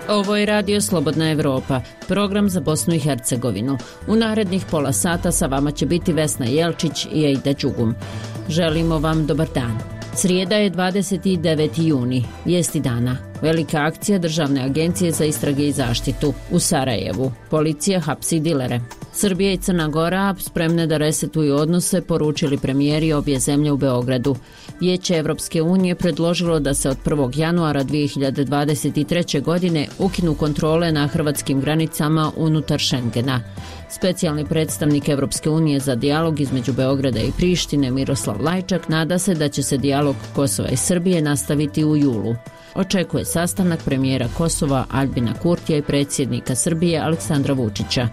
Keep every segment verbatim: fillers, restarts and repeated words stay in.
Ovo je Radio Slobodna Evropa, program za Bosnu i Hercegovinu. U narednih pola sata sa vama će biti Vesna Jelčić i Ejda Đugum. Želimo vam dobar dan. Srijeda je dvadeset deveti juni, vijesti dana. Velika akcija Državne agencije za istrage i zaštitu u Sarajevu. Policija hapsi dilere. Srbija i Crna Gora spremne da resetuju odnose, poručili premijeri obje zemlje u Beogradu. Vijeće Evropske unije predložilo da se od prvog januara dvije hiljade dvadeset treće. godine ukinu kontrole na hrvatskim granicama unutar Šengena. Specijalni predstavnik Evropske unije za dijalog između Beograda i Prištine Miroslav Lajčak nada se da će se dijalog Kosova i Srbije nastaviti u julu. Očekuje sastanak premijera Kosova Aljbina Kurtija i predsjednika Srbije Aleksandra Vučića.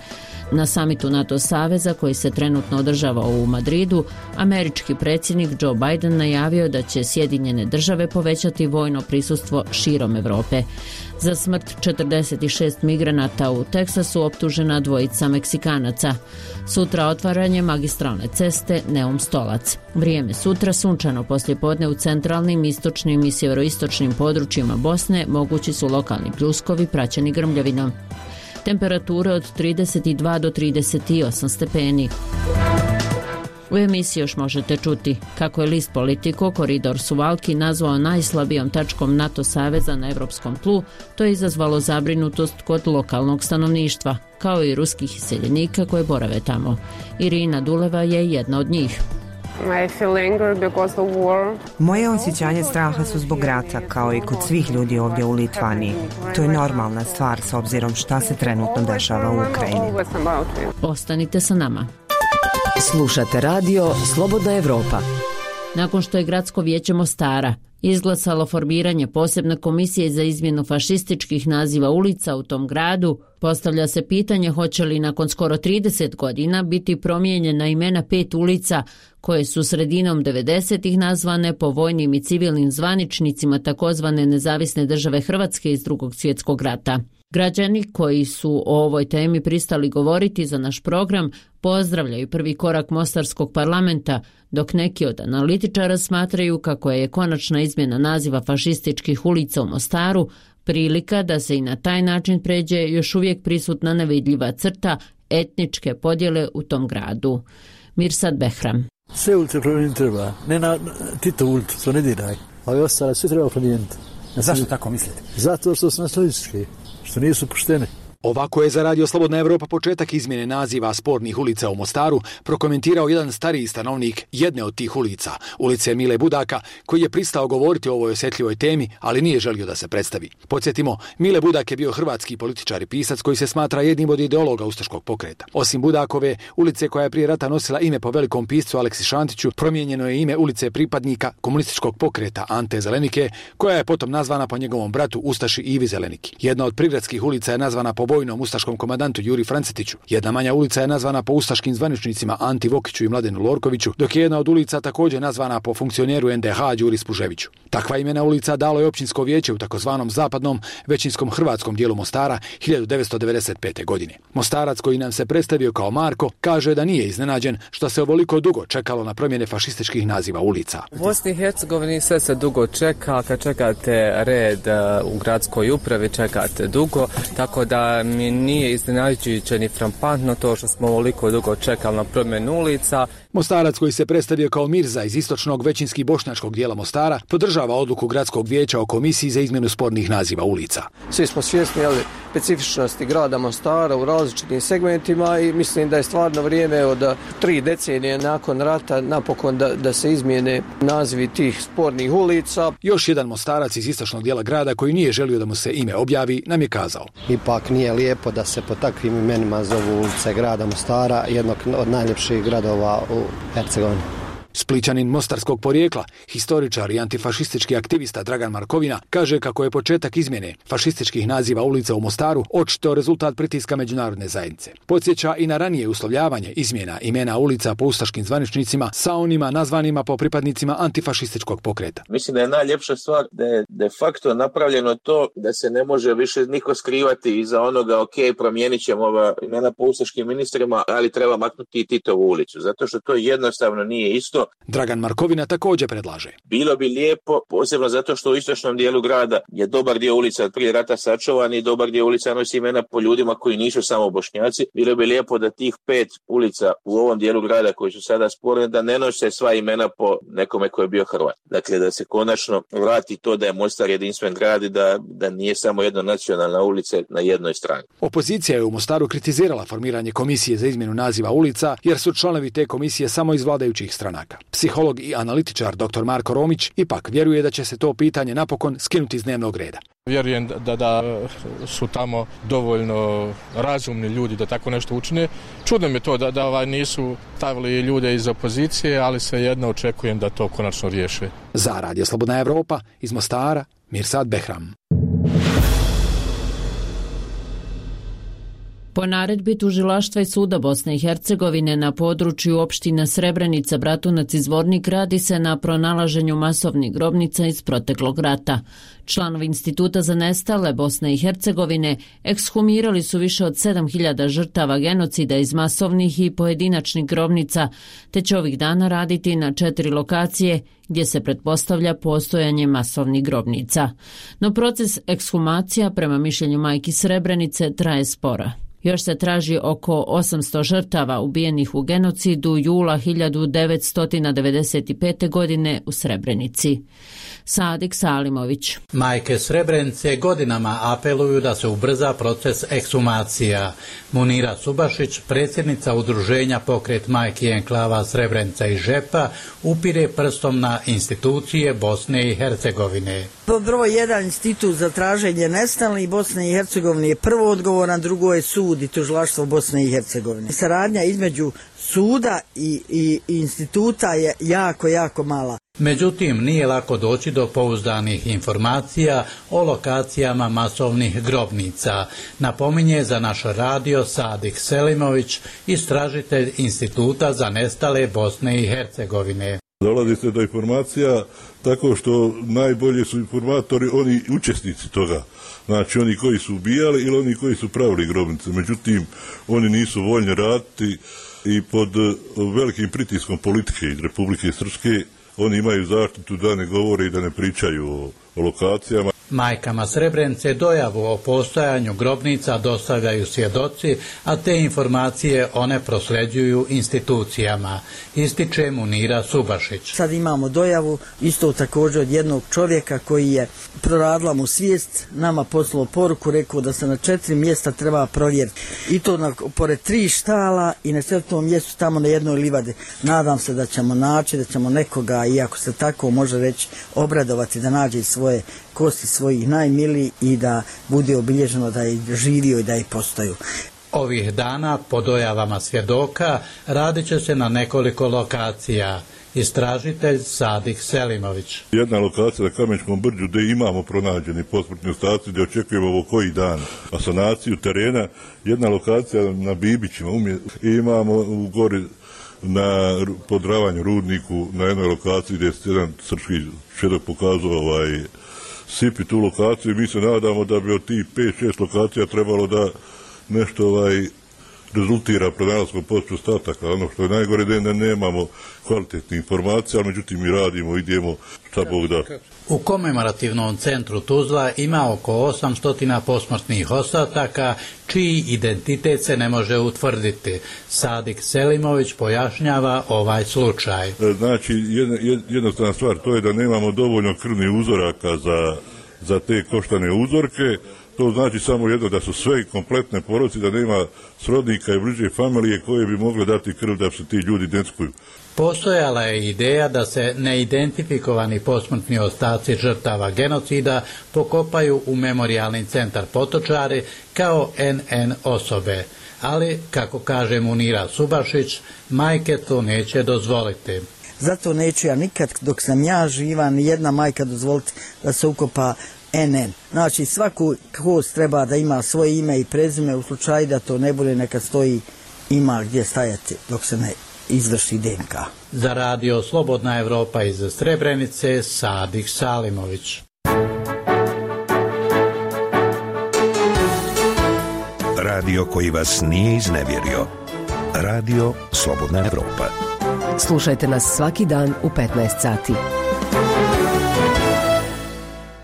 Na samitu NATO saveza koji se trenutno održava u Madridu, američki predsjednik Joe Biden najavio da će Sjedinjene države povećati vojno prisustvo širom Evrope. Za smrt četrdeset šest migranata u Teksasu optužena dvojica Meksikanaca. Sutra otvaranje magistralne ceste Neum-Stolac. Vrijeme sutra sunčano poslijepodne u centralnim, istočnim i sjeveroistočnim područjima Bosne, mogući su lokalni pljuskovi praćeni grmljavinom. Temperature od trideset dva do trideset osam stepeni. U emisiji još možete čuti kako je list Politico koridor Suvalki nazvao najslabijom tačkom NATO saveza na evropskom tlu. To je izazvalo zabrinutost kod lokalnog stanovništva, kao i ruskih iseljenika koje borave tamo. Irina Duleva je jedna od njih. Moje osjećanje straha su zbog rata, kao i kod svih ljudi ovdje u Litvaniji. To je normalna stvar s obzirom šta se trenutno dešava u Ukrajini. Ostanite sa nama. Slušate radio Slobodna Evropa. Nakon što je Gradsko vijeće Mostara izglasalo formiranje posebne komisije za izmjenu fašističkih naziva ulica u tom gradu, postavlja se pitanje hoće li nakon skoro trideset godina biti promijenjena imena pet ulica koje su sredinom devedesetih nazvane po vojnim i civilnim zvaničnicima takozvane Nezavisne države Hrvatske iz Drugog svjetskog rata. Građani koji su o ovoj temi pristali govoriti za naš program pozdravljaju prvi korak Mostarskog parlamenta, dok neki od analitičara smatraju kako je konačna izmjena naziva fašističkih ulica u Mostaru prilika da se i na taj način pređe još uvijek prisutna nevidljiva crta etničke podjele u tom gradu. Mirsad Behram. Sve ulice promijeniti treba, ne na Tito ulicu, to ne diraj, ali ostale sve treba promijeniti. Zašto tako mislite? Zato što su nacionalistički, što nisu poštene. Ovako je za Radio Slobodna Evropa početak izmjene naziva spornih ulica u Mostaru prokomentirao jedan stariji stanovnik jedne od tih ulica, ulice Mile Budaka, koji je pristao govoriti o ovoj osjetljivoj temi, ali nije želio da se predstavi. Podsjetimo, Mile Budak je bio hrvatski političar i pisac koji se smatra jednim od ideologa ustaškog pokreta. Osim Budakove, ulice koja je prije rata nosila ime po velikom piscu Aleksi Šantiću, promijenjeno je ime ulice pripadnika komunističkog pokreta Ante Zelenike, koja je potom nazvana po njegovom bratu Ustaši Ivi Zeleniki. Jedna od prigradskih ulica je nazvana po vojnom ustaškom komandantu Juri Francetiću. Jedna manja ulica je nazvana po ustaškim zvaničnicima Anti Vokiću i Mladenu Lorkoviću, dok je jedna od ulica također nazvana po funkcioneru en de ha Đuri Spuževiću. Takva imena ulica dalo je općinsko vijeće u takozvanom zapadnom većinskom hrvatskom dijelu Mostara hiljadu devetsto devedeset pete. godine. Mostarac koji nam se predstavio kao Marko kaže da nije iznenađen što se ovoliko dugo čekalo na promjene fašističkih naziva ulica. U Bosni i Hercegovini sve se dugo čeka, kad čekate red u gradskoj upravi čekate dugo, tako da mi nije iznenađujuće ni frappantno to što smo ovoliko dugo čekali na promjenu ulica. Mostarac koji se predstavio kao Mirza iz istočnog većinski bošnjačkog dijela Mostara podržava odluku gradskog vijeća o komisiji za izmjenu spornih naziva ulica. Svi smo svjesni ali, specifičnosti grada Mostara u različitim segmentima i mislim da je stvarno vrijeme od tri decenije nakon rata napokon da, da se izmijene nazivi tih spornih ulica. Još jedan Mostarac iz istočnog dijela grada koji nije želio da mu se ime objavi nam je kazao: ipak nije lijepo da se po takvim imenima zovu ulice grada Mostara, jednog od najljepših gradova u Hercegovini. Splićanin mostarskog porijekla, historičar i antifašistički aktivista Dragan Markovina kaže kako je početak izmjene fašističkih naziva ulica u Mostaru očito rezultat pritiska međunarodne zajednice. Podsjeća i na ranije uslovljavanje izmjena imena ulica po ustaškim zvaničnicima sa onima nazvanima po pripadnicima antifašističkog pokreta. Mislim da je najljepša stvar da je de facto napravljeno to da se ne može više niko skrivati iza onoga ok, promijenit ćemo ova imena po ustaškim ministrima, ali treba maknuti i Titovu ulicu, zato što to jednostavno nije isto. isto. Dragan Markovina također predlaže. Bilo bi lijepo, posebno zato što u istočnom dijelu grada je dobar dio ulica od prije rata sačuvan i dobar dio ulica nosi imena po ljudima koji nisu samo Bošnjaci. Bilo bi lijepo da tih pet ulica u ovom dijelu grada koji su sada sporne, da ne nose sva imena po nekome koji je bio Hrvat. Dakle, da se konačno vrati to da je Mostar jedinstven grad i da, da nije samo jedna nacionalna ulica na jednoj strani. Opozicija je u Mostaru kritizirala formiranje komisije za izmjenu naziva ulica, jer su članovi te komisije samo iz vladajućih stranaka. Psiholog i analitičar doktor Marko Romić ipak vjeruje da će se to pitanje napokon skinuti iz dnevnog reda. Vjerujem da, da su tamo dovoljno razumni ljudi da tako nešto učine. Čudno mi je to da, da ovaj nisu stavili ljude iz opozicije, ali svejedno očekujem da to konačno riješe. Za Radio Slobodna Evropa iz Mostara, Mirsad Behram. Po naredbi tužilaštva i suda Bosne i Hercegovine na području opština Srebrenica, Bratunac i Zvornik radi se na pronalaženju masovnih grobnica iz proteklog rata. Članovi Instituta za nestale Bosne i Hercegovine ekshumirali su više od sedam hiljada žrtava genocida iz masovnih i pojedinačnih grobnica, te će ovih dana raditi na četiri lokacije gdje se pretpostavlja postojanje masovnih grobnica. No proces ekshumacija, prema mišljenju majki Srebrenice, traje sporo. Još se traži oko osamsto žrtava ubijenih u genocidu jula hiljadu devetsto devedeset pete. godine u Srebrenici. Sadik Salimović. Majke Srebrenice godinama apeluju da se ubrza proces ekshumacija. Munira Subašić, predsjednica udruženja Pokret majki enklava Srebrenica i Žepa, upire prstom na institucije Bosne i Hercegovine. Broj jedan, institut za traženje nestalih Bosne i Hercegovine je prvo odgovoran, drugo je sud i tužilaštvo Bosne i Hercegovine. Saradnja između suda i, i, i instituta je jako, jako mala. Međutim, nije lako doći do pouzdanih informacija o lokacijama masovnih grobnica, napominje za naš radio Sadik Selimović, istražitelj Instituta za nestale Bosne i Hercegovine. Dolazi se do informacija tako što najbolji su informatori oni učesnici toga. Znači oni koji su ubijali ili oni koji su pravili grobnice. Međutim, oni nisu voljni raditi i pod velikim pritiskom politike iz Republike Srpske oni imaju zaštitu da ne govore i da ne pričaju o, o lokacijama. Majkama Srebrenice dojavu o postojanju grobnica dostavljaju svjedoci, a te informacije one prosljeđuju institucijama, ističe Munira Subašić. Sad imamo dojavu isto također od jednog čovjeka koji je proradila mu svijest, nama poslao poruku, rekao da se na četiri mjesta treba provjeriti. I to na, pored tri štala i na četvrtom mjestu tamo na jednoj livadi. Nadam se da ćemo naći, da ćemo nekoga, iako se tako može reći, obradovati da nađe svoje kosti svojih najmiliji i da bude obilježeno da je živio i da je postaju. Ovih dana, po dojavama svjedoka, radit će se na nekoliko lokacija. Istražitelj Sadik Selimović. Jedna lokacija na Kamenskom brđu gdje imamo pronađeni posmrtni ostaci, gdje očekujemo ovo koji dan asanaciju terena. Jedna lokacija na Bibićima, i imamo u gori na podravanju Rudniku, na jednoj lokaciji gdje je jedan srpski svjedok pokazao ovaj sipi tu lokaciju i mi se nadamo da bi od tih pet šest lokacija trebalo da nešto ovaj rezultira pronalaskom posmrtnih ostataka. Ono što je najgore da ne nemamo kvalitetne informacije, ali međutim mi radimo, idemo šta Bog da. U komemorativnom centru Tuzla ima oko osamsto posmrtnih ostataka čiji identitet se ne može utvrditi. Sadik Selimović pojašnjava ovaj slučaj. Znači, jedna, jednostavna stvar to je da nemamo dovoljno krvnih uzoraka za, za te koštane uzorke. To znači samo jedno, da su sve kompletne porodice, da nema srodnika i bliže familije koje bi mogle dati krv da se ti ljudi identifikuju. Postojala je ideja da se neidentifikovani posmrtni ostaci žrtava genocida pokopaju u memorijalni centar Potočari kao en en osobe. Ali, kako kaže Munira Subašić, majke to neće dozvoliti. Zato neću ja nikad, dok sam ja živa, ni jedna majka dozvoliti da se ukopa en en. Znači, svaku kost treba da ima svoje ime i prezime, u slučaju da to ne bude, neka stoji, ima gdje stajati dok se ne izvrši de en ka. Za radio Slobodna Evropa iz Srebrenice, Sadik Salimović. Radio koji vas nije iznevjerio. Radio Slobodna Evropa. Slušajte nas svaki dan u petnaest sati.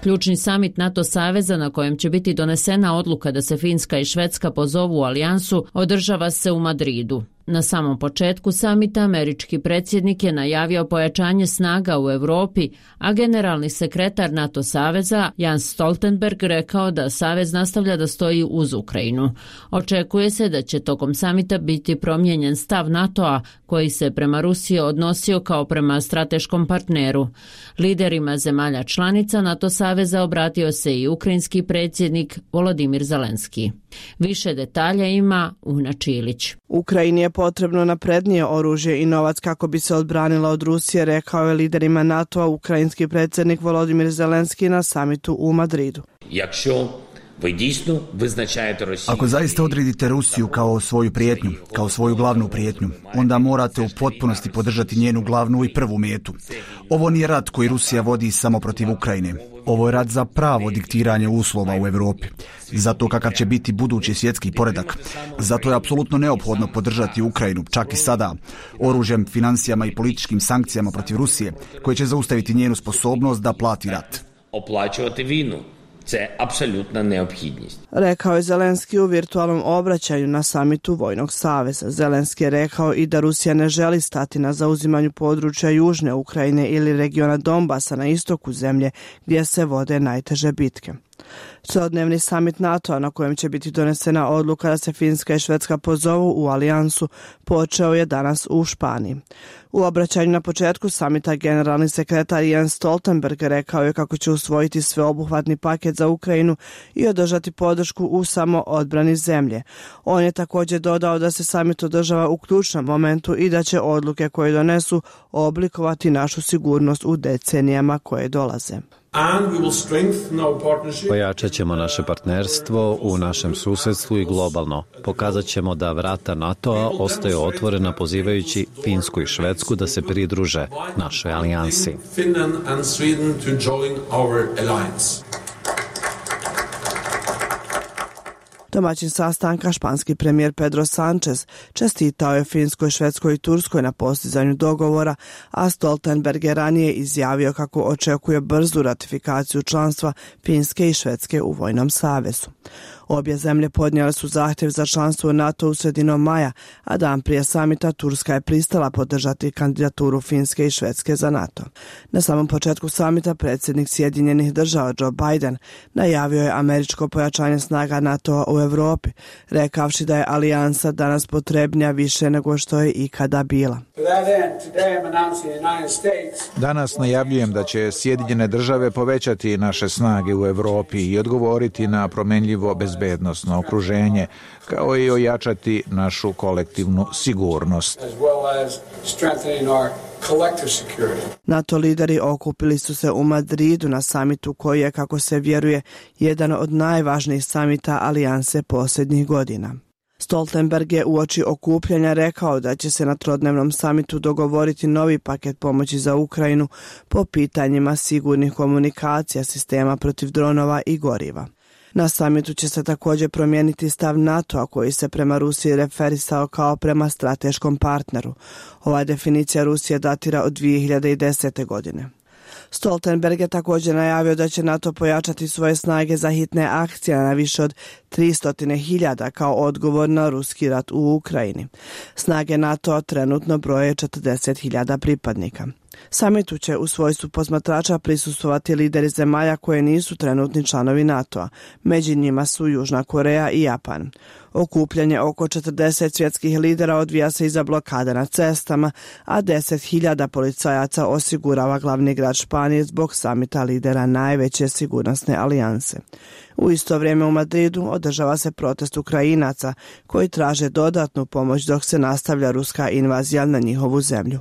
Ključni samit NATO saveza na kojem će biti donesena odluka da se Finska i Švedska pozovu u alijansu održava se u Madridu. Na samom početku samita američki predsjednik je najavio pojačanje snaga u Europi, a generalni sekretar NATO saveza Jens Stoltenberg rekao da savez nastavlja da stoji uz Ukrajinu. Očekuje se da će tokom samita biti promijenjen stav NATO-a koji se prema Rusiji odnosio kao prema strateškom partneru. Liderima zemalja članica NATO saveza obratio se i ukrajinski predsjednik Volodimir Zelenski. Više detalja ima Una Čilić. Ukrajini je potrebno naprednije oružje i novac kako bi se odbranila od Rusije, rekao je liderima NATO-a ukrajinski predsjednik Volodimir Zelenski na samitu u Madridu. Ako zaista odredite Rusiju kao svoju prijetnju, kao svoju glavnu prijetnju, onda morate u potpunosti podržati njenu glavnu i prvu metu. Ovo nije rat koji Rusija vodi samo protiv Ukrajine. Ovo je rat za pravo diktiranje uslova u Europi. Zato kakav će biti budući svjetski poredak. Zato je apsolutno neophodno podržati Ukrajinu, čak i sada, oružjem, financijama i političkim sankcijama protiv Rusije, koje će zaustaviti njenu sposobnost da plati rat. Оплачувати війну. Це apsolutna neophodnost. Rekao je Zelenski u virtualnom obraćanju na samitu Vojnog saveza. Zelenski je rekao i da Rusija ne želi stati na zauzimanju područja Južne Ukrajine ili regiona Donbasa na istoku zemlje gdje se vode najteže bitke. Celodnevni samit NATO-a na kojem će biti donesena odluka da se Finska i Švedska pozovu u alijansu počeo je danas u Španiji. U obraćanju na početku samita generalni sekretar Jens Stoltenberg rekao je kako će usvojiti sveobuhvatni paket za Ukrajinu i održati podršku u samoodbrani zemlje. On je također dodao da se samit održava u ključnom momentu i da će odluke koje donesu oblikovati našu sigurnost u decenijama koje dolaze. Pojačat ćemo naše partnerstvo u našem susjedstvu i globalno. Pokazat ćemo da vrata NATO-a ostaju otvorena pozivajući Finsku i Švedsku da se pridruže našoj alijansi. Domaćin sastanka, španski premijer Pedro Sánchez, čestitao je Finskoj, Švedskoj i Turskoj na postizanju dogovora, a Stoltenberg je ranije izjavio kako očekuje brzu ratifikaciju članstva Finske i Švedske u Vojnom savezu. Obje zemlje podnijele su zahtjev za članstvo u NATO u sredinom maja, a dan prije samita Turska je pristala podržati kandidaturu Finske i Švedske za NATO. Na samom početku samita predsjednik Sjedinjenih država Joe Biden najavio je američko pojačanje snaga NATO-a u Europi, rekavši da je alijansa danas potrebnija više nego što je ikada bila. Danas najavljujem da će Sjedinjene države povećati naše snage u Europi i odgovoriti na promenljivo bezbednosno okruženje, kao i ojačati našu kolektivnu sigurnost. NATO lideri okupili su se u Madridu na samitu koji je, kako se vjeruje, jedan od najvažnijih samita alijanse posljednjih godina. Stoltenberg je uoči okupljanja rekao da će se na trodnevnom samitu dogovoriti novi paket pomoći za Ukrajinu po pitanjima sigurnih komunikacija, sistema protiv dronova i goriva. Na samitu će se također promijeniti stav NATO-a koji se prema Rusiji referisao kao prema strateškom partneru. Ova definicija Rusije datira od dvije hiljade desete. godine. Stoltenberg je također najavio da će NATO pojačati svoje snage za hitne akcije na više od tristo hiljada kao odgovor na ruski rat u Ukrajini. Snage NATO-a trenutno broje četrdeset hiljada pripadnika. Samitu će u svojstvu posmatrača prisustvovati lideri zemalja koje nisu trenutni članovi NATO-a. Među njima su Južna Koreja i Japan. Okupljanje oko četrdeset svjetskih lidera odvija se iza blokada na cestama, a deset hiljada policajaca osigurava glavni grad Španije zbog samita lidera najveće sigurnosne alijanse. U isto vrijeme u Madridu održava se protest Ukrajinaca koji traže dodatnu pomoć dok se nastavlja ruska invazija na njihovu zemlju.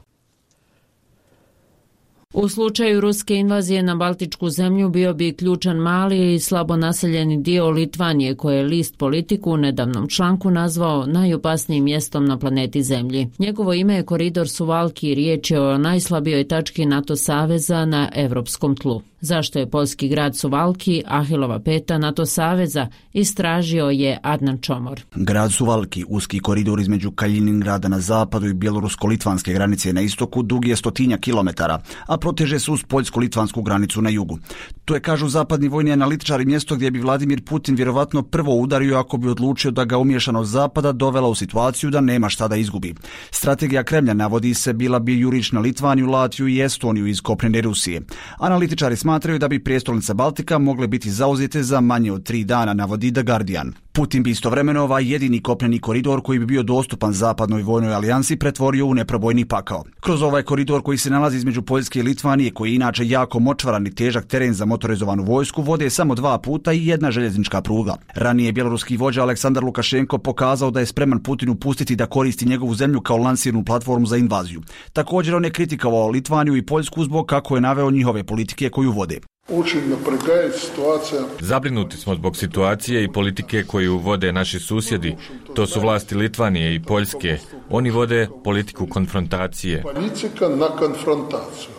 U slučaju ruske invazije na Baltičku zemlju bio bi ključan mali i slabo naseljeni dio Litvanije, koje je list Politiku u nedavnom članku nazvao najopasnijim mjestom na planeti Zemlji. Njegovo ime je koridor Suvalki i riječ je o najslabijoj tački NATO saveza na evropskom tlu. Zašto je poljski grad Suvalki Ahilova peta NATO saveza, istražio je Adnan Čomor. Grad Suvalki, uski koridor između Kaliningrada na zapadu i bjelorusko-litvanske granice na istoku, dug je stotinja kilometara, a proteže se uz poljsko-litvansku granicu na jugu. To je, kažu zapadni vojni analitičari, mjesto gdje bi Vladimir Putin vjerovatno prvo udario ako bi odlučio da ga umješanost zapada dovela u situaciju da nema šta da izgubi. Strategija Kremlja, navodi se, bila bi jurić na Litvaniju, Latviju i Estoniju iz kopnene Rusije. Analitičari smatraju da bi prijestolnice Baltika mogle biti zauzete za manje od tri dana, navodi The Guardian. Putin bi istovremeno ovaj jedini kopneni koridor koji bi bio dostupan zapadnoj vojnoj alijansi pretvorio u neprobojni pakao. Kroz ovaj koridor koji se nalazi između Poljske i Litvanije, koji je inače jako močvaran i težak teren za motorizovanu vojsku, vode samo dva puta i jedna željeznička pruga. Ranije bjeloruski vođa Aleksandar Lukašenko pokazao da je spreman Putinu pustiti da koristi njegovu zemlju kao lansirnu platformu za invaziju. Također on je kritikovao Litvaniju i Poljsku zbog kako je naveo njihove politike koju vode. Zabrinuti smo zbog situacije i politike koju vode naši susjedi. To su vlasti Litvanije i Poljske. Oni vode politiku konfrontacije.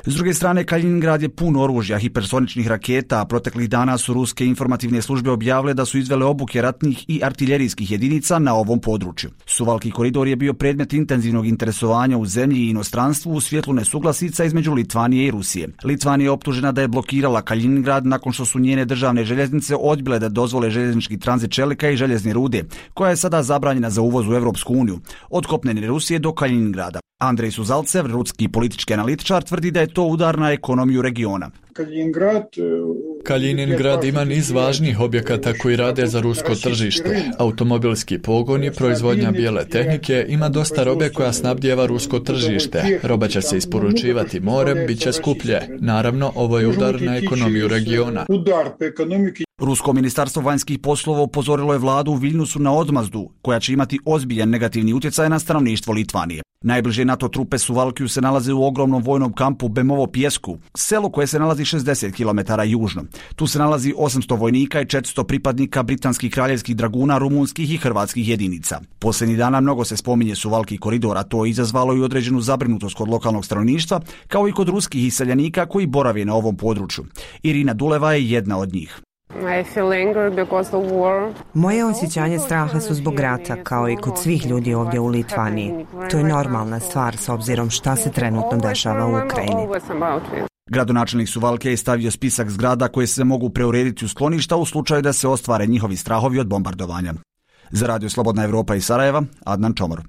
S druge strane, Kaliningrad je pun oružja, hipersoničnih raketa, a proteklih dana su ruske informativne službe objavile da su izvele obuke ratnih i artiljerijskih jedinica na ovom području. Suvalki koridor je bio predmet intenzivnog interesovanja u zemlji i inostranstvu u svjetlu nesuglasica između Litvanije i Rusije. Litvanija je optužena da je blokirala Kaliningrad nakon što su njene državne željeznice odbile da dozvole željeznički tranzit čelika i željezne rude, koja je sada zabranjena za uvoz u Europsku uniju, od kopnene Rusije do Kaliningrada. Andrej Suzalcev, ruski politički analitičar, tvrdi da je to udar na ekonomiju regiona. Kaliningrad ima niz važnih objekata koji rade za rusko tržište. Automobilski pogon i proizvodnja bijele tehnike, ima dosta robe koja snabdijeva rusko tržište. Roba će se isporučivati morem, bit će skuplje. Naravno, ovo je udar na ekonomiju regiona. Rusko ministarstvo vanjskih poslova upozorilo je vladu u Viljnusu na odmazdu, koja će imati ozbiljan negativni utjecaj na stanovništvo Litvanije. Najbliže NATO trupe Suvalkiju se nalaze u ogromnom vojnom kampu Bemovo Pjesku, selo koje se nalazi šezdeset kilometara južno. Tu se nalazi osamsto vojnika i četiristo pripadnika britanskih kraljevskih draguna, rumunskih i hrvatskih jedinica. Posljednjih dana mnogo se spominje Suvalki koridor, a to je izazvalo i određenu zabrinutost kod lokalnog stanovništva, kao i kod ruskih iseljenika koji borave na ovom području. Irina Duleva je jedna od njih. Moje osjećanje straha su zbog rata, kao i kod svih ljudi ovdje u Litvaniji. To je normalna stvar s obzirom šta se trenutno dešava u Ukrajini. Gradonačelnik Suvalke je stavio spisak zgrada koje se mogu preurediti u skloništa u slučaju da se ostvare njihovi strahovi od bombardovanja. Za Radio Slobodna Evropa iz Sarajeva, Adnan Čomor.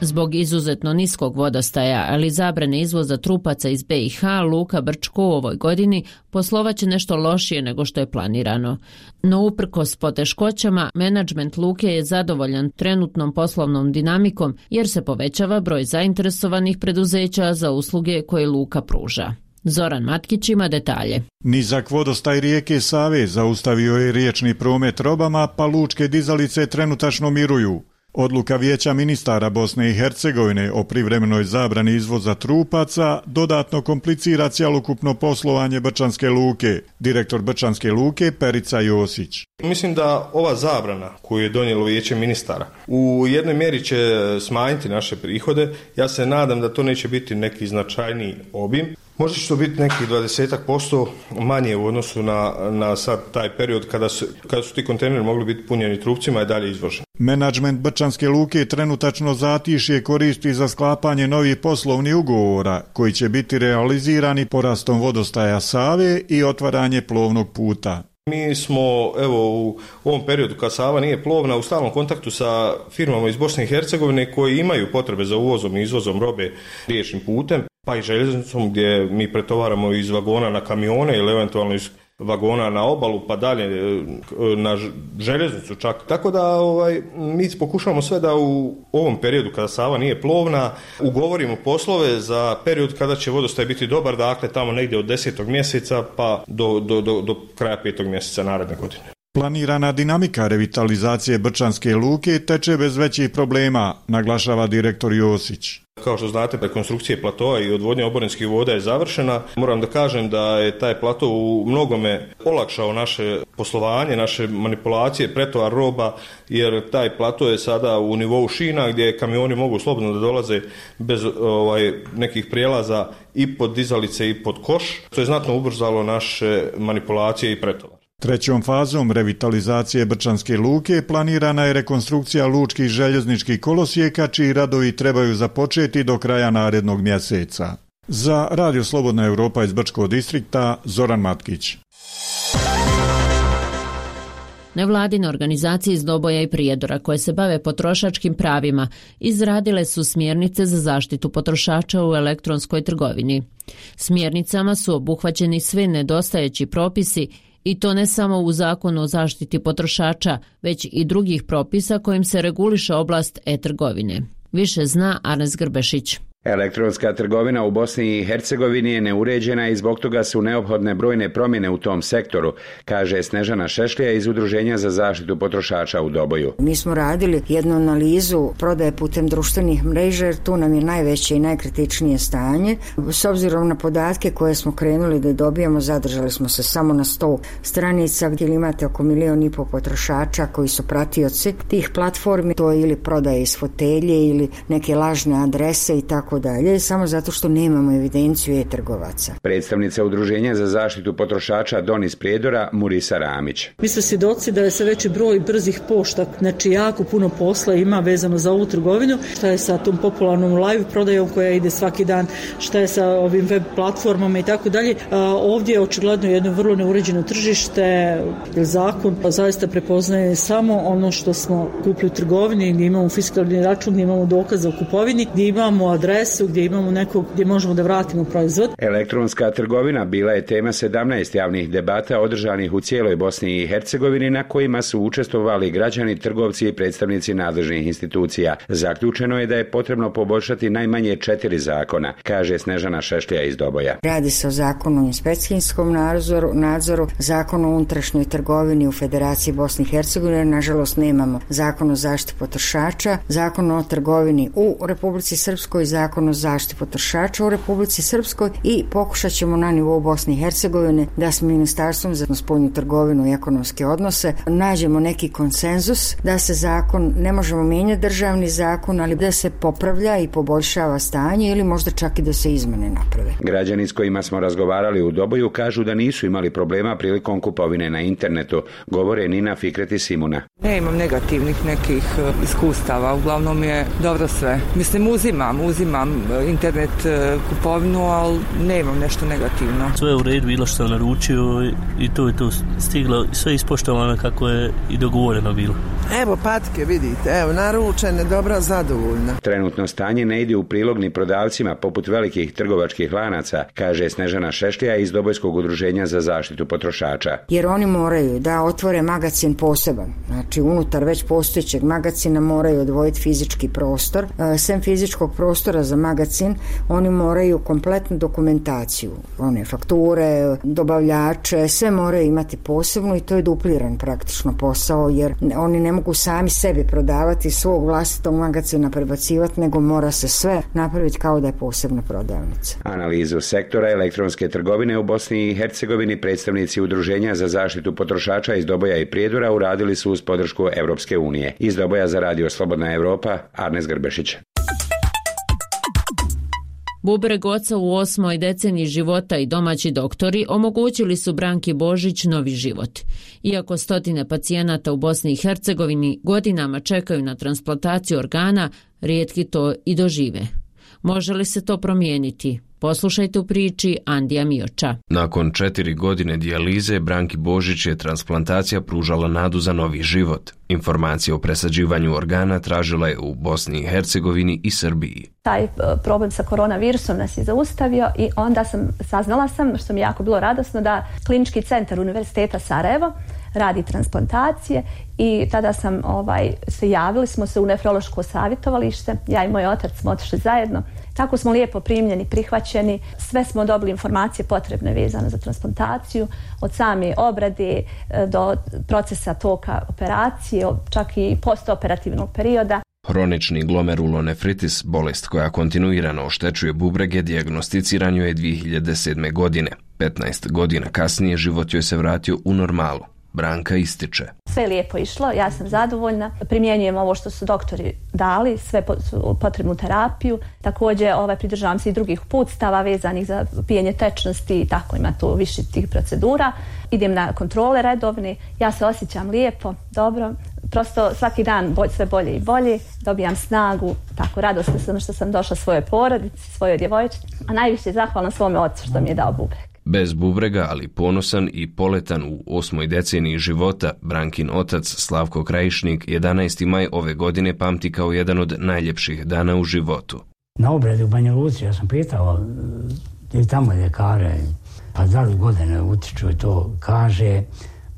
Zbog izuzetno niskog vodostaja, ali zabrane izvoza trupaca iz be i ha, Luka Brčko u ovoj godini poslovaće nešto lošije nego što je planirano. No uprkos poteškoćama, menadžment Luke je zadovoljan trenutnom poslovnom dinamikom jer se povećava broj zainteresovanih preduzeća za usluge koje Luka pruža. Zoran Matkić ima detalje. Nizak vodostaj rijeke Save zaustavio je riječni promet robama, pa lučke dizalice trenutačno miruju. Odluka Vijeća ministara Bosne i Hercegovine o privremenoj zabrani izvoza trupaca dodatno komplicira cjelokupno poslovanje Brčanske luke. Direktor Brčanske luke Perica Josić. Mislim da ova zabrana koju je donijelo Vijeće ministara u jednoj mjeri će smanjiti naše prihode. Ja se nadam da to neće biti neki značajniji obim. Možda će to biti nekih dvadeset posto manje u odnosu na, na sad taj period kada su, kada su ti kontejneri mogli biti punjeni trupcima i dalje izvoženi. Menadžment Brčanske luke trenutačno zatišje koristi za sklapanje novih poslovnih ugovora koji će biti realizirani porastom vodostaja Save i otvaranje plovnog puta. Mi smo evo u ovom periodu kad Sava nije plovna u stalnom kontaktu sa firmama iz Bosne i Hercegovine koji imaju potrebe za uvozom i izvozom robe riječnim putem, pa i željeznicom gdje mi pretovaramo iz vagona na kamione ili eventualno iz vagona na obalu pa dalje na željeznicu čak. Tako da ovaj, mi pokušavamo sve da u ovom periodu kada Sava nije plovna ugovorimo poslove za period kada će vodostaj biti dobar, dakle tamo negdje od desetog mjeseca pa do, do, do, do kraja petog mjeseca naredne godine. Planirana dinamika revitalizacije Brčanske luke teče bez većih problema, naglašava direktor Josić. Kao što znate, rekonstrukcija platoa i odvodnja oborinskih voda je završena. Moram da kažem da je taj plato u mnogome olakšao naše poslovanje, naše manipulacije, pretovar roba, jer taj plato je sada u nivou šina gdje kamioni mogu slobodno da dolaze bez ovaj, nekih prijelaza i pod dizalice i pod koš. To je znatno ubrzalo naše manipulacije i pretovar. Trećom fazom revitalizacije Brčanske luke planirana je rekonstrukcija lučkih željezničkih kolosijeka, čiji radovi trebaju započeti do kraja narednog mjeseca. Za Radio Slobodna Europa iz Brčkog distrikta, Zoran Matkić. Nevladine organizacije iz Doboja i Prijedora koje se bave potrošačkim pravima izradile su smjernice za zaštitu potrošača u elektronskoj trgovini. Smjernicama su obuhvaćeni svi nedostajeći propisi i to ne samo u Zakonu o zaštiti potrošača, već i drugih propisa kojim se reguliše oblast e-trgovine. Više zna Arnes Grbešić. Elektronska trgovina u Bosni i Hercegovini je neuređena i zbog toga su neophodne brojne promjene u tom sektoru, kaže Snežana Šešlija iz Udruženja za zaštitu potrošača u Doboju. Mi smo radili jednu analizu prodaje putem društvenih mreža, jer tu nam je najveće i najkritičnije stanje. S obzirom na podatke koje smo krenuli da dobijamo, zadržali smo se samo na sto stranica gdje imate oko milion i pol potrošača koji su pratioci tih platformi. To je ili prodaje iz fotelje ili neke lažne adrese i tako dalje, samo zato što nemamo evidenciju e-trgovaca. Predstavnica Udruženja za zaštitu potrošača Donis Prijedora, Murisa Ramić. Mi smo svjedoci da je sve veći broj brzih pošta, znači jako puno posla ima vezano za ovu trgovinu. Šta je sa tom popularnom live prodajom koja ide svaki dan, šta je sa ovim web platformama i tako dalje. Ovdje je očigledno jedno vrlo neuređeno tržište, jer zakon zaista prepoznaje samo ono što smo kupili u trgovini, gdje imamo fiskalni račun, gdje imamo dokaze o kupovini, gdje imamo adres, gdje imamo nekog gdje možemo da vratimo proizvod. Elektronska trgovina bila je tema sedamnaest javnih debata održanih u cijeloj Bosni i Hercegovini na kojima su učestvovali građani, trgovci i predstavnici nadležnih institucija. Zaključeno je da je potrebno poboljšati najmanje četiri zakona, kaže Snežana Šešlija iz Doboja. Radi se o zakonu o inspekcijskom nadzoru, nadzoru, zakonu o unutrašnjoj trgovini u Federaciji Bosne i Hercegovine, nažalost nemamo zakon o zaštiti potrošača, zakon o trgovini u Republici Srpskoj, zakon o zaštiti potrošača u Republici Srpskoj i pokušat ćemo na nivou Bosne i Hercegovine da s Ministarstvom za spoljnu trgovinu i ekonomske odnose nađemo neki konsenzus da se zakon, ne možemo mijenjati državni zakon, ali da se popravlja i poboljšava stanje ili možda čak i da se izmene naprave. Građani s kojima smo razgovarali u Doboju kažu da nisu imali problema prilikom kupovine na internetu, govore Nina Fikret i Simuna. Ne imam negativnih nekih iskustava, uglavnom je dobro sve. Mislim, uzimam, uzimam internet kupovinu, ali nemam nešto negativno. Sve je u redu bilo što sam naručio i to je to stiglo, sve ispoštovano kako je i dogovoreno bilo. Evo patke, vidite, evo naručene, dobro, zadovoljna. Trenutno stanje ne ide u prilog ni prodavcima poput velikih trgovačkih lanaca, kaže Snežana Šešlija iz Dobojskog udruženja za zaštitu potrošača. Jer oni moraju da otvore magacin poseban, znači unutar već postojećeg magacina moraju odvojiti fizički prostor. Sem fizičkog prostora za magacin, oni moraju kompletnu dokumentaciju, one fakture, dobavljače, sve moraju imati posebno i to je dupliran praktično posao, jer oni ne mogu sami sebi prodavati svog vlastitog magacina prebacivati, nego mora se sve napraviti kao da je posebna prodavnica. Analizu sektora elektronske trgovine u Bosni i Hercegovini predstavnici Udruženja za zaštitu potrošača iz Doboja i Prijedora uradili su uz podršku Europske unije. Iz Doboja za Radio Slobodna Europa, Arnes Grbešić. Bubreg oca u osmoj deceniji života i domaći doktori omogućili su Branki Božić novi život. Iako stotine pacijenata u Bosni i Hercegovini godinama čekaju na transplantaciju organa, rijetki to i dožive. Može li se to promijeniti? Poslušajte u priči Andija Mioča. Nakon četiri godine dijalize, Branki Božić je transplantacija pružala nadu za novi život. Informacije o presađivanju organa tražila je u Bosni i Hercegovini i Srbiji. Taj problem sa koronavirusom nas je zaustavio i onda sam saznala sam, što mi je jako bilo radosno, da Klinički centar Univerziteta Sarajevo radi transplantacije i tada sam ovaj, se javili smo se u nefrološko savjetovalište, ja i moj otac smo otišli zajedno. Tako smo lijepo primljeni, prihvaćeni, sve smo dobili informacije potrebne vezane za transplantaciju, od same obrade do procesa toka operacije, čak i postoperativnog perioda. Hronični glomerulonefritis, bolest koja kontinuirano oštećuje bubrege, dijagnosticiran joj je dvije hiljade sedme. godine. petnaest godina kasnije život joj se vratio u normalu. Branka ističe. Sve je lijepo išlo, ja sam zadovoljna. Primjenjujem ovo što su doktori dali, sve potrebnu terapiju. Također ovaj, pridržavam se i drugih uputstava vezanih za pijenje tečnosti i tako, ima tu više tih procedura. Idem na kontrole redovne, ja se osjećam lijepo, dobro. Prosto svaki dan sve bolje i bolje, dobijam snagu, tako radosna sam što sam došla svojoj porodici, svojoj djevojčici, a najviše zahvalna svome ocu što mi je dao bubreg. Bez bubrega, ali ponosan i poletan u osmoj deceniji života, Brankin otac Slavko Krajišnik jedanaesti maj ove godine pamti kao jedan od najljepših dana u životu. Na obredi u Banja Luci ja sam pitao i tamo ljekare, pa da li godine utiču i to kaže,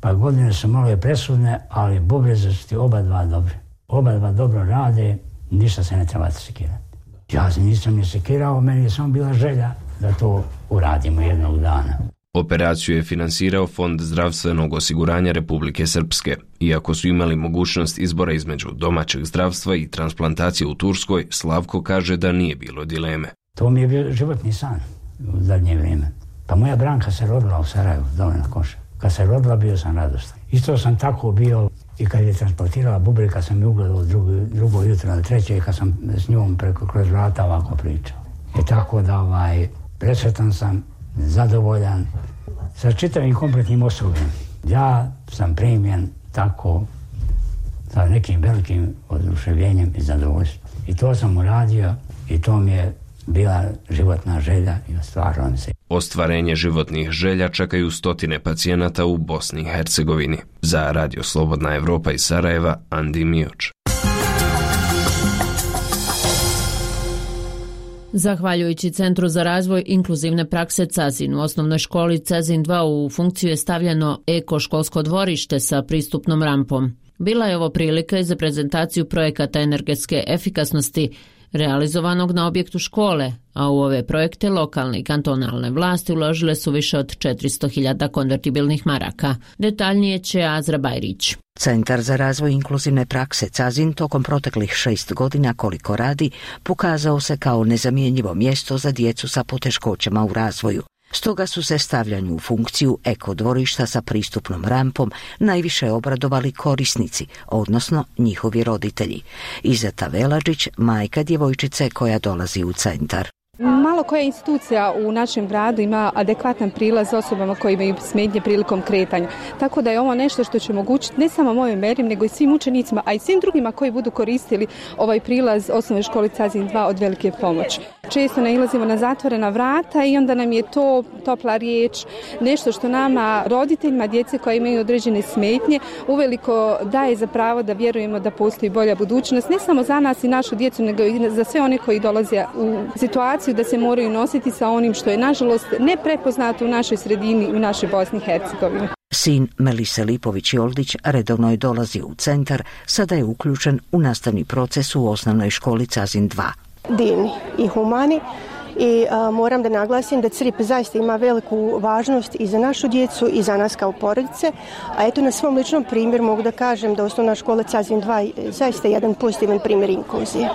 pa godine su malo presudne, ali bubrezi su ti oba dva dobri. Oba dva dobro rade, ništa se ne trebate sekirati. Ja se nisam ni sekirao, meni je samo bila želja da to uradimo jednog dana. Operaciju je finansirao Fond zdravstvenog osiguranja Republike Srpske. Iako su imali mogućnost izbora između domaćeg zdravstva i transplantacije u Turskoj, Slavko kaže da nije bilo dileme. To mi je bio životni san u zadnje vrijeme. Pa moja Branka se rodila u Sarajevu, dole na Koša. Kad se rodila, bio sam radostan. Isto sam tako bio i kad je transportirala bubreg, kad sam je ugledao drugo, drugo jutro na treće, kad sam s njom preko kroz vrata ovako pričao. I tako da ovaj, presretan sam, zadovoljan sa čitavim kompletnim osobljem. Ja sam primjen tako sa nekim velikim oduševljenjem i zadovoljstvom. I to sam uradio i to mi je bila životna želja i ostvarila se. Ostvarenje životnih želja čekaju stotine pacijenata u Bosni i Hercegovini. Za Radio Slobodna Evropa iz Sarajeva, Andi Mioč. Zahvaljujući Centru za razvoj inkluzivne prakse Cazin u osnovnoj školi Cazin dva u funkciju je stavljeno eko-školsko dvorište sa pristupnom rampom. Bila je ovo prilika i za prezentaciju projekata energetske efikasnosti realizovanog na objektu škole, a u ove projekte lokalne i kantonalne vlasti uložile su više od četiristo hiljada konvertibilnih maraka. Detaljnije će Azra Bajrić. Centar za razvoj inkluzivne prakse Cazin tokom proteklih šest godina koliko radi pokazao se kao nezamjenjivo mjesto za djecu sa poteškoćama u razvoju. Stoga su se stavljanju u funkciju eko dvorišta sa pristupnom rampom najviše obradovali korisnici, odnosno njihovi roditelji. Izeta Velađić, majka djevojčice koja dolazi u centar. Malo koja institucija u našem gradu ima adekvatan prilaz osobama koji imaju smetnje prilikom kretanja. Tako da je ovo nešto što će omogućiti ne samo mojoj meri, nego i svim učenicima, a i svim drugima koji budu koristili ovaj prilaz osnovne škole Cazin dva od velike pomoći. Često nailazimo na zatvorena vrata i onda nam je to topla riječ, nešto što nama, roditeljima djece koji imaju određene smetnje, uveliko daje za pravo da vjerujemo da postoji bolja budućnost, ne samo za nas i našu djecu, nego i za sve one koji dolaze u situaciju da se moraju nositi sa onim što je nažalost neprepoznato u našoj sredini, u našoj Bosni i Hercegovini. Sin Melise Lipović-Joldić redovno je dolazi u centar, sada je uključen u nastavni proces u osnovnoj školi Cazin dva. Divni i humani i a, moram da naglasim da C R I P zaista ima veliku važnost i za našu djecu i za nas kao porodice, a eto na svom ličnom primjeru mogu da kažem da osnovna škola Cazin dva je zaista jedan pozitivan primjer inkluzije.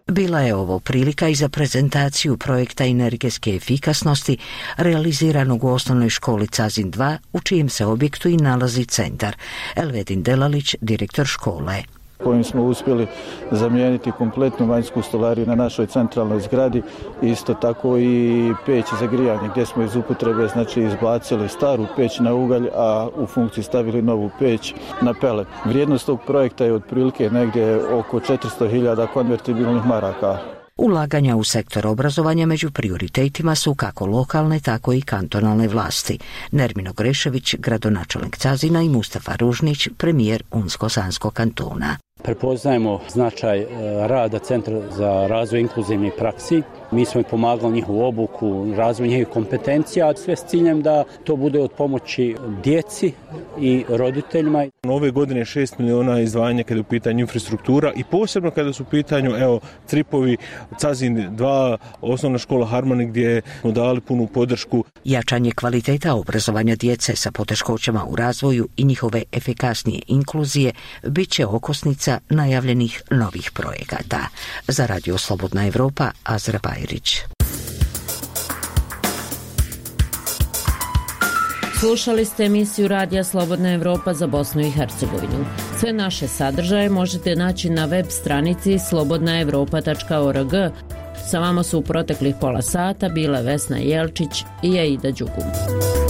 Bila je ovo prilika i za prezentaciju projekta energetske efikasnosti realiziranog u osnovnoj školi Cazin dva, u čijem se objektu i nalazi centar. Elvedin Delalić, direktor škole. Kojim smo uspjeli zamijeniti kompletnu vanjsku stolariju na našoj centralnoj zgradi, isto tako i peć za grijanje, gdje smo iz upotrebe znači izbacili staru peć na ugalj, a u funkciji stavili novu peć na pelet. Vrijednost tog projekta je otprilike negdje oko četiristo hiljada konvertibilnih maraka. Ulaganja u sektor obrazovanja među prioritetima su kako lokalne, tako i kantonalne vlasti. Nermino Grešević, gradonačelnik Cazina, i Mustafa Ružnić, premijer Unsko-Sanskog kantona. Prepoznajemo značaj rada Centra za razvoj inkluzivnih praksi Mi smo pomagali njihovu obuku, razvoj njihovih kompetencija, a sve s ciljem da to bude od pomoći djeci i roditeljima. Ove godine šest miliona izdvajanja kada je u pitanju infrastruktura i posebno kada su u pitanju evo, Tripovi, Cazin dva, osnovna škola Harmoni gdje smo dali punu podršku. Jačanje kvaliteta obrazovanja djece sa poteškoćama u razvoju i njihove efikasnije inkluzije bit će okosnica najavljenih novih projekata. Za Radio Slobodna Evropa, Azra Bajrić. Slušali ste emisiju Radija Slobodna Evropa za Bosnu i Hercegovinu. Sve naše sadržaje možete naći na web stranici slobodna evropa tačka org. Sa vama su u proteklih pola sata bile Vesna Jelčić i Aida Đugum.